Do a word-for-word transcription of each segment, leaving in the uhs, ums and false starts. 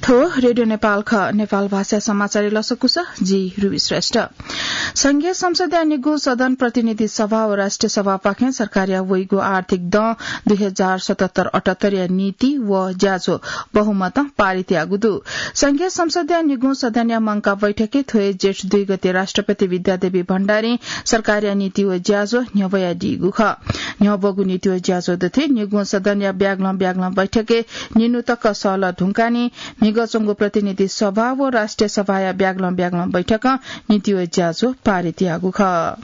थ्व रेडियो नेपाल खः। नेपाल भाषा समाचारय् लसकुस, जि रुबी श्रेष्ठ। संघीय संसदया निगू सदन प्रतिनिधि सभा व राष्ट्रिय सभापाखें सरकारया वइगु आर्थिक दँ दुई हजार सतहत्तर अठहत्तरया नीति व ज्याझ्वः बहुमतं पारित याःगु दु। संघीय संसदया निगू सदनया मंकाः बैठकय् थ्व हे जेठ दुई गते राष्ट्रपति विद्यादेवी भण्डारीं सरकारया नीति व ज्याझ्वः न्ह्यब्वयादीगु खः। न्ह्यब्वःगु नीति व ज्याझ्वः दथुइ निगू सदनया ब्यागलं ब्यागलं बैठकय् निन्हु तक सहलह धुंकाः नि म्हिगः च्वंगु प्रतिनिधि सभा व राष्ट्रिय सभाया ब्यागलं ब्यागलं बैठकं नीति व ज्याझ्वः पारित याःगु खः।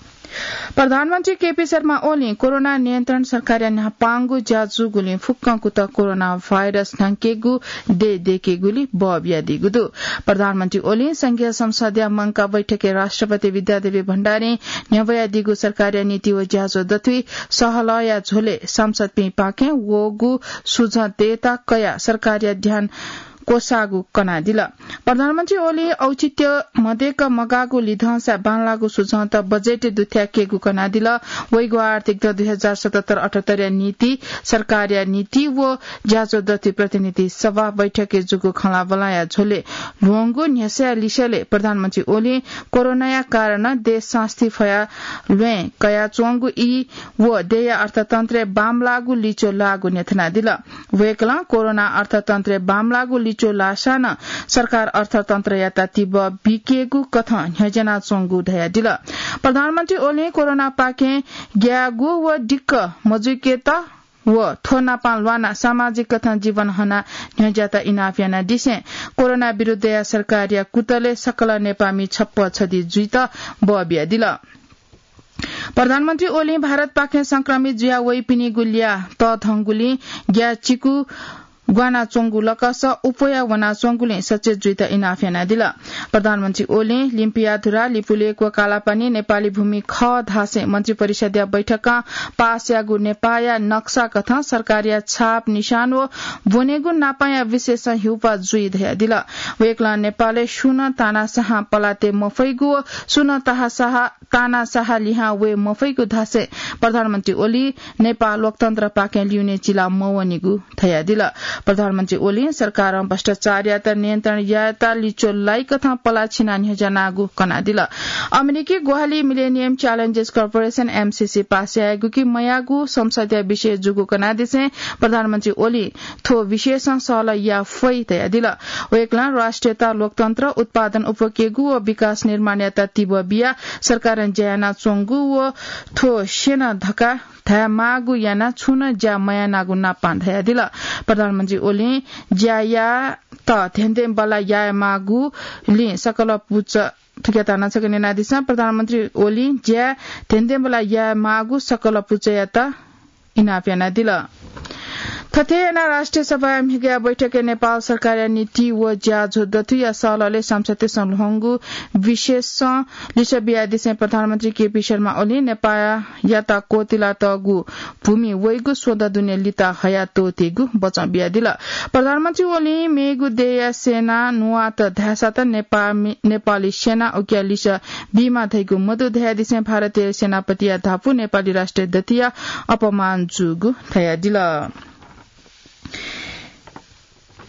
प्रधानमन्त्री केपी शर्मा ओलीं कोरोना नियन्त्रण सरकारया न्हापांगु ज्या जूगुलिं फुक्कं कुतः कोरोना भाइरस न्ह्याकेगु देय् दयेकेगुली बः बियादीगु दु। प्रधानमन्त्री ओलीं संघीय संसदया मंकाः बैठकय् राष्ट्रपति विद्यादेवी भण्डारीं न्ह्यब्वयादीगु सरकारया नीति व ज्याझ्वः दथुइ सहलहया झ्वलय् सांसदपिंपाखें वःगु सुझं तयेत कयाः सरकारया ध्यान क्वसाःगु कनादिल। प्रधानमन्त्री ओलीं औचित्य मदय्क मगाःगु लिधंसा बांलाःगु सुझंत बजेटय् दुथ्याकेगु कनादिल। वइगु आर्थिक दँ दुई हजार सतहत्तर अठहत्तरया नीति, सरकारया नीति व ज्याझ्वः दथुइ प्रतिनिधि सभा बैठकय् जूगु खँल्हाबल्हाया झ्वलय् ल्ह्वंगु न्ह्यसःया लिसलय् प्रधानमन्त्री ओलीं कोरोनाया कारणं देश सास्ती फया ल्वय् कयाच्वंगु ई व देय्या अर्थतन्त्रय् बांमलाःगु लिच्वः लाःगु न्ह्यथनादिल। वय्कलं कोरोना अर्थतन्त्रय् बांमलाःगु लिच्वः लाःसां नं सरकार अर्थतन्त्रयात तिबः बीकेगु कथं न्ह्यज्यानाच्वंगु धयादिल। प्रधानमन्त्री ओलीं कोरोनापाखें ग्यायेगु व दिक्क मजुइकेत व थ्व नापं ल्वानाः सामाजिक कथं जीवन हनाः न्ह्यज्यात इनाप यानादिसें कोरोना विरुद्धया सरकारया कुतलय् सकल नेपाःमि छप्पँ छधि जुइत बः बियादिल। प्रधानमन्त्री ओलीं भारतपाखें संक्रमित जुया वइपिनिगु ल्याः तःधंगुलिं ग्याःचिकु ग्वानाच्वंगु लकस अप्वया वनाच्वंगुलिं सचेत जुइत इनाप यानादिल। प्रधानमन्त्री ओलीं लिम्पियाधुरा, लिपुलेक व कालापानी नेपाली भूमि खः धासें मन्त्रिपरिषदया बैठकं पास याःगु नेपाःया नक्सा कथं सरकारया छाप निशान व ब्वनेगु नापांया विशेषं हिउपाः जुइ धयादिल। वय्कलं नेपालय् सुं नं तानासाहां पलाः तये मफइगु व सुं नं ताहासाहा तानासाहा लिहां वये मफइगु धासें प्रधानमन्त्री ओली नेपाः लोकतन्त्रपाखें ल्यूने चिला मवनीगु धयादिल। प्रधानमन्त्री ओलीं सरकारं भ्रष्टाचारयात नियन्त्रण यायेत लिच्वः लाइकथं पलाः छिनाः न्ह्यज्यानागु कनादिल। अमेरिकी ग्वाहालि Millennium Challenges Corporation, एमसीसी, पास यायेगु कि मयायेगु संसदया विषय जूगु कनादिसें प्रधानमन्त्री ओलीं थ्व विषयसं सहलह याये फइ धयादिल। वय्कलं राष्ट्रियता, लोकतन्त्र, उत्पादन उपकेगु व विकास निर्माणयात तिबः बियाः सरकारं ज्या यानाच्वंगु व थ्व स्यन धकाः धायेमाःगु यानाः छुं नं ज्या मयानागु नापां धयादिल। प्रधानमन्त्री ओलीं ज्या यायेत धेंधेंबल्लाः यायेमाःगुलिं सकल पुचः, थुकियात नं छकः न्यनादिसँ। प्रधानमन्त्री ओलीं ज्या धेंधेंबल्लाः यायेमाःगु सकल पुचःयात इनाप यानादिल। थथे यानाः राष्ट्रिय सभाया म्हिगःया बैठकय् नेपाल सरकारया नीति व ज्याझ्वः दथुइया सहलहलय् सांसदतय्सं ल्ह्वंगु विषयसं लिसः बियादिसें प्रधानमन्त्री केपी शर्मा ओलीं नेपाःयात क्वतिलातःगु भूमि वइगु स्वदँ दुने लित हयाः त्वःतेगु बचं बियादिल। प्रधानमन्त्री ओलीं मेगु देय्या सेना न्वात धाय्सात नेपामि-, नेपाली सेना उकिया लिसः बीमाः धइगु मदु धयादिसें भारतीय सेनापतिया धापू नेपाली राष्ट्रिय दथुइया अपमान जूगु धयादिल।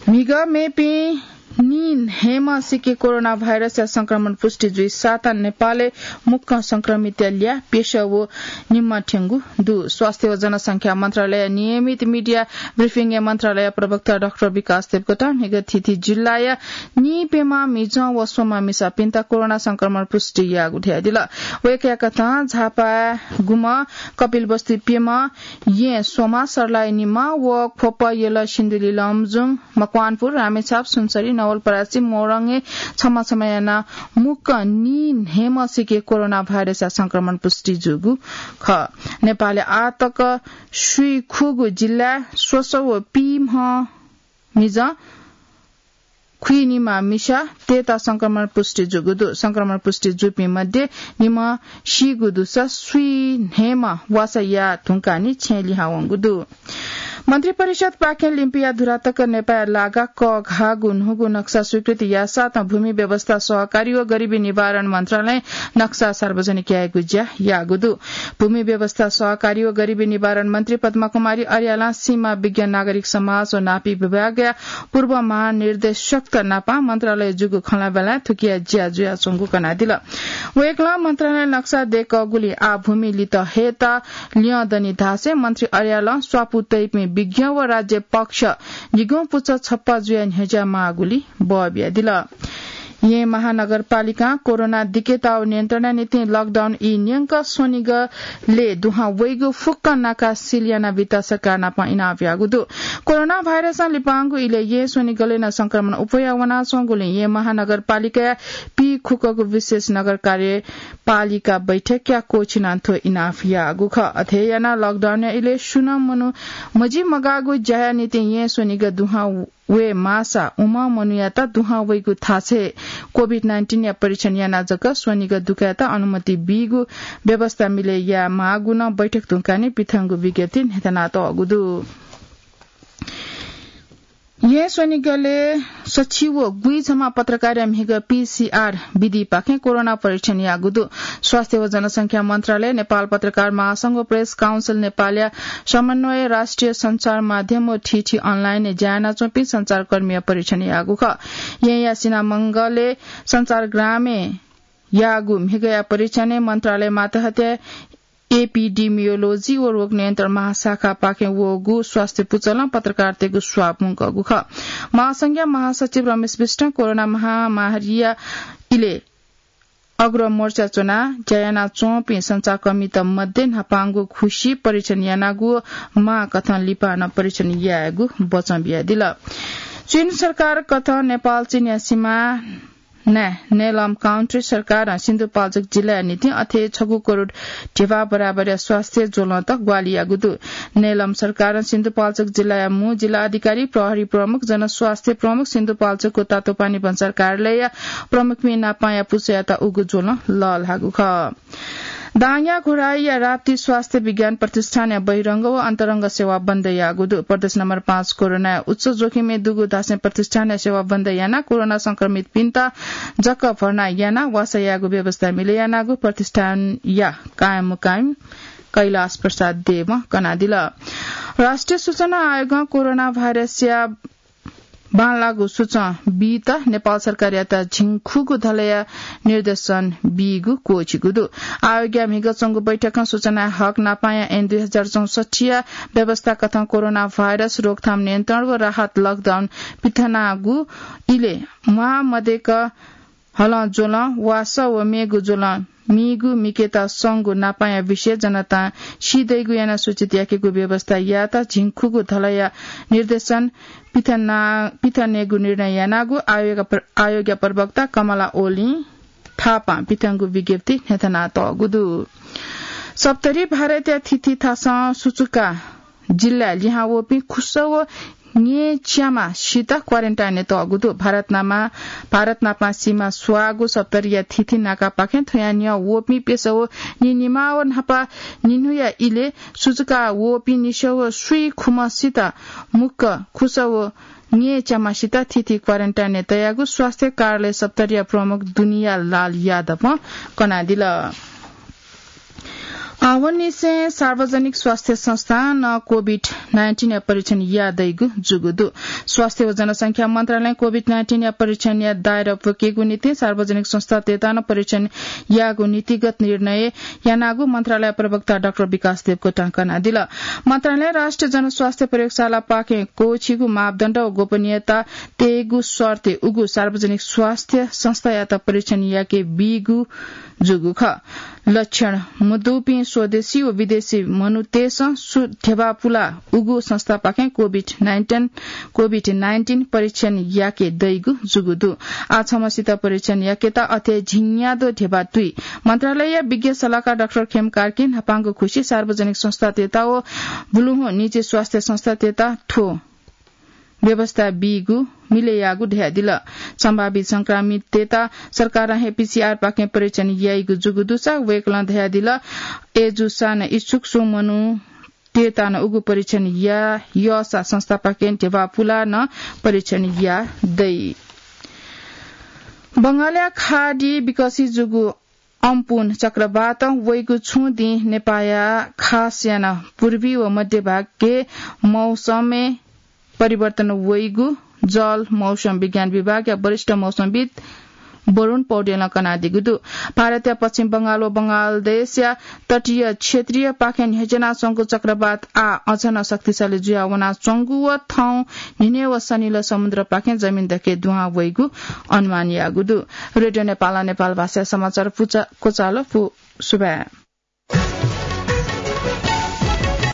म्हिगः मेपिं नीन्हय्म्हसिके कोरोना भाइरसया संक्रमण पुष्टि जुइसातं नेपालय् मुक्कं संक्रमितया ल्याः प्यसः व निम्ह थ्यंगु दु। स्वास्थ्य व जनसंख्या मन्त्रालयया नियमित मिडिया ब्रिफिङय् मन्त्रालय प्रवक्ता डाक्टर विकास देवकोटां म्हिगः थीथी जिल्लाया नीप्यम्ह मिजं व स्वम्ह मिसापिन्त कोरोना संक्रमण पुष्टि याःगु धयादिल। वय्कःया कथं झापाय् गुम्ह, कपिलवस्तु प्यम्ह, येँ स्वम्ह, सर्लाही निम्ह व ख्वप, यल, सिन्धुली, लमजुङ, मकवानपुर, रामेछाप, सुनसरी, नवलपरासी, मोरङय् छम्ह छम्ह यानाः मुक्कं नीन्हय्म्हसिके कोरोना भाइरसया संक्रमण पुष्टि जूगु खः। नेपालय् आः तक स्वीखूगु जिल्लाय् स्वसः व पीम्ह मिजं, खुइनिम्ह मिसातय्त संक्रमण पुष्टि जूगु दु। संक्रमण पुष्टि जूपिं मध्ये निम्ह सीगु दुसा स्वीन्हय्म्ह वासः याये धुंकाः नि छेँय् लिहां वंगु दु। मन्त्रिपरिषदपाखें लिम्पिया धुरा तक नेपाःया लागा कःघाःगु न्हूगु नक्सा स्वीकृति याःसाथं भूमि व्यवस्था, सहकारी व गरिबी निवारण मन्त्रालयं नक्सा सार्वजनिक यायेगु ज्या याःगु दु। भूमि व्यवस्था, सहकारी व गरिबी निवारण मन्त्री पद्मा कुमारी अर्यालं सीमा विज्ञ नागरिक समाज व नापी विभागया पूर्व महानिर्देशकत नापं मन्त्रालय जूगु खँल्हाबल्हाय् थुकिया ज्या जुयाच्वंगु कनादिल। वय्कलं मन्त्रालयं नक्सा दय्कःगुलिं आः भूमि लित हयेत ल्यं दनि धासें मन्त्री अर्यालं स्वापू तइपिं विज्ञ व राज्य पक्ष निगुं पुचः छप्पा जुयाः न्ह्यज्या माःगुलिं बः बियादिल। येँ महानगरपालिकां कोरोना दिकेताःगु नियन्त्रणया निंतिं लकडाउन ई न्यंक स्वनिगलय् दुहां वइगु फुक्क नाका सिल यानाबीत सरकार नाप इनाप याःगु दु। कोरोना भाइरसं लिपांगु इलय् येँ स्वनिगलय् नं संक्रमण अप्वया वनाच्वंगुलिं येँ महानगरपालिकाया पीखुक्कगु विशेष नगर कार्य पालिका बैठकया कोठिनं थ्व इनाप याःगु खः। अथे यानाः लकडाउनया इलय् सुं नं मनू मजिमगाःगु ज्याया निंतिं येँ स्वनिगः दुहां वये माःसा उम्ह मनूयात दुहां वइगु थासय् कोभिड नाइन्टिनया परीक्षण यानाः जक स्वनिगः दुकायेत अनुमति बीगु व्यवस्था मिले याये माःगु नं बैठक धुंकाः निं पिथंगु विज्ञप्तिइ न्ह्यथनातःगु दु। येँ स्वनिगलय् सछि व गुइझम्मा पत्रकारया म्हिगः पीसीआर विधिपाखें कोरोना परीक्षण याःगु दु। स्वास्थ्य व जनसंख्या मन्त्रालय, नेपाल पत्रकार महासंघ व प्रेस काउन्सिल नेपालया समन्वयं राष्ट्रिय सञ्चार माध्यम व थीथी अनलाइनय् ज्या यानाच्वंपिं सञ्चारकर्मीया परीक्षण याःगु खः। येँया सिनामंगलय् सञ्चारग्रामय् याःगु म्हिगःया परीक्षणय् मन्त्रालय मातहतय् एपिडिमियोलोजी व रोग नियन्त्रण महाशाखापाखें वःगु स्वास्थ्य पुचलं पत्रकारतय्गु स्वाब मुंकःगु खः। महासंघया महासचिव रमेश विष्टं कोरोना महामारीया इलय् अग्रमोर्चा च्वनाः ज्या यानाच्वंपिं सञ्चारकर्मीत मध्ये न्हापांगु खुसि परीक्षण यानागु व माःकथं लिपा नं परीक्षण यायेगु बचं बियादिल। चीन सरकार कथं नेपाल चीनया सीमा नाय् नेलम काउन्ट्री सरकारं सिन्धुपाल्चोक जिल्लाया निंतिं अथे छगू करोड ध्यबा बराबरया स्वास्थ्य ज्वलंत ग्वाहालि याःगु दु। नेलम सरकारं सिन्धुपाल्चोक जिल्लाया मू जिल्ला अधिकारी, प्रहरी प्रमुख, जनस्वास्थ्य प्रमुख, सिन्धुपाल्चोकको तातोपानी भन्सार कार्यालयया प्रमुखपिं नापांया पुचःयात उगु ज्वलं लःल्हाःगु खः। दाङया घोडाईया राप्ती स्वास्थ्य विज्ञान प्रतिष्ठानया बहिरंग व अन्तरंग सेवा बन्द याःगु दु। प्रदेश नम्बर पाँच कोरोनाया उच्च जोखिमय् दुगु धासें प्रतिष्ठानया सेवा बन्द यानाः कोरोना संक्रमितपिन्त जक भर्ना यानाः वासः यायेगु व्यवस्था मिले यानागु प्रतिष्ठानया कायममुकायम कैलाश प्रसाद देवं कनादिल। राष्ट्रिय सूचना आयोगं कोरोना भाइरसया बांलाःगु सूचं बीत नेपाल सरकारयात झिंखुगू धलया निर्देशन बीगु क्वःछिगु दु। आयोगया म्हिगः च्वंगु बैठकं सूचनाया हक नापांया ऐन दुई हजार चौसठ्ठीया व्यवस्था कथं कोरोना भाइरस रोकथाम नियन्त्रण व राहत लकडाउन पिथनागु इलय् म्वाः मदय्क हलं ज्वलं, वासः व मेगु ज्वलं मीगु मिकेत संगु नापांया विषय जनतां सी दइगु यानाः सूचित याकेगु व्यवस्था यायेत झिंखुगू धलया निर्देशन पिथना-, पिथनेगु निर्णय यानागु आयोगया प्र-, आयोगया प्रवक्ता कमला ओलीं थापां पिथंगु विज्ञप्ति न्ह्यथनातःगु दु। सप्तरी भारतया थीथी थासं सुचुका जिल्लाय् लिहां वःपिं खुसः व न्येच्याम्ह सित क्वारेन्टाइनय् तःगु दु। भारत नामा, भारत नापं सीमा स्वाःगु सप्तरीया थीथी नाकापाखें थ्वयां न्ह्यः वःपिं प्यसः व निनिमाः व न्हापा निन्हुया इलय् सुचुका वःपिं निसः व स्वीखुम्ह सित मुक्क खुसः व न्येच्याम्ह सित थीथी क्वारेन्टाइनय् तयागु स्वास्थ्य कार्यालय सप्तरीया प्रमुख दुनिया लाल यादवं कनादिल। आवंनिसें सार्वजनिक स्वास्थ्य संस्थां नं कोभिड नाइन्टिनया परीक्षण याये दइगु जूगु दु। स्वास्थ्य व जनसंख्या मन्त्रालयं कोभिड नाइन्टिनया परीक्षणया दायरा प्वकेगु निंतिं सार्वजनिक संस्थातय्त नं परीक्षण यायेगु नीतिगत निर्णय यानागु मन्त्रालय प्रवक्ता डाक्टर विकास देवकोटां कनादिल। मन्त्रालयं राष्ट्रिय जनस्वास्थ्य प्रयोगशालापाखें क्वःछिगु मापदण्ड व गोपनीयता तयेगु शर्तय् उगु सार्वजनिक स्वास्थ्य संस्थायात परीक्षण याके बीगु जूगु खः। लक्षण मदुपिं स्वदेशी व विदेशी मनूतय्सं सु-, ध्यबा पुलाः उगु संस्थापाखें कोभिड नाइन्टिन, कोभिड नाइन्टिन परीक्षण याके दइगु जूगु दु। आः छम्हसित परीक्षण याकेत अथे झिंन्यादँ ध्यबा तुइ। मन्त्रालयया विज्ञ सल्लाहकार डाक्टर खेम कार्कीं न्हापांगु खुसि सार्वजनिक संस्थातय्त व बुलुहुँ निजी स्वास्थ्य संस्थातय्त थ्व व्यवस्था बीगु मिले याःगु धयादिल। सम्भावित संक्रमिततय्त सरकारं हे पीसीआरपाखें परीक्षण याइगु जूगु दुसा वय्कलं धयादिल, अय्जूसां नं इच्छुक सुं मनू तेतान उगु परीक्षण या यसा संस्थापाखें ध्यबा पुलान परीक्षण या दइ। बंगालया खाडी विकसित जुगु अम्पुन चक्रवात वइगु छुं दिं नेपाया खास याना पूर्वी व मध्य भागके मौसमय् परिवर्तन वइगु जल मौसम विज्ञान विभागया वरिष्ठ मौसमविद वरुण पौडेलं कनादीगु दु। भारतया पश्चिम बंगाल व बंगालदेशया तटीय क्षेत्रीय पाखें न्ह्यज्यानाच्वंगु चक्रवात आ अझ नं शक्तिशाली जुया वनाच्वंगु व थौं न्हिने व सनिल समुद्र पाखें जमिन दके दुहां वइगु अनुमान याःगु दु। रेडियो नेपाल नेपाल भाषा समाचार पुचा-, कोचालो पु सुभाय्।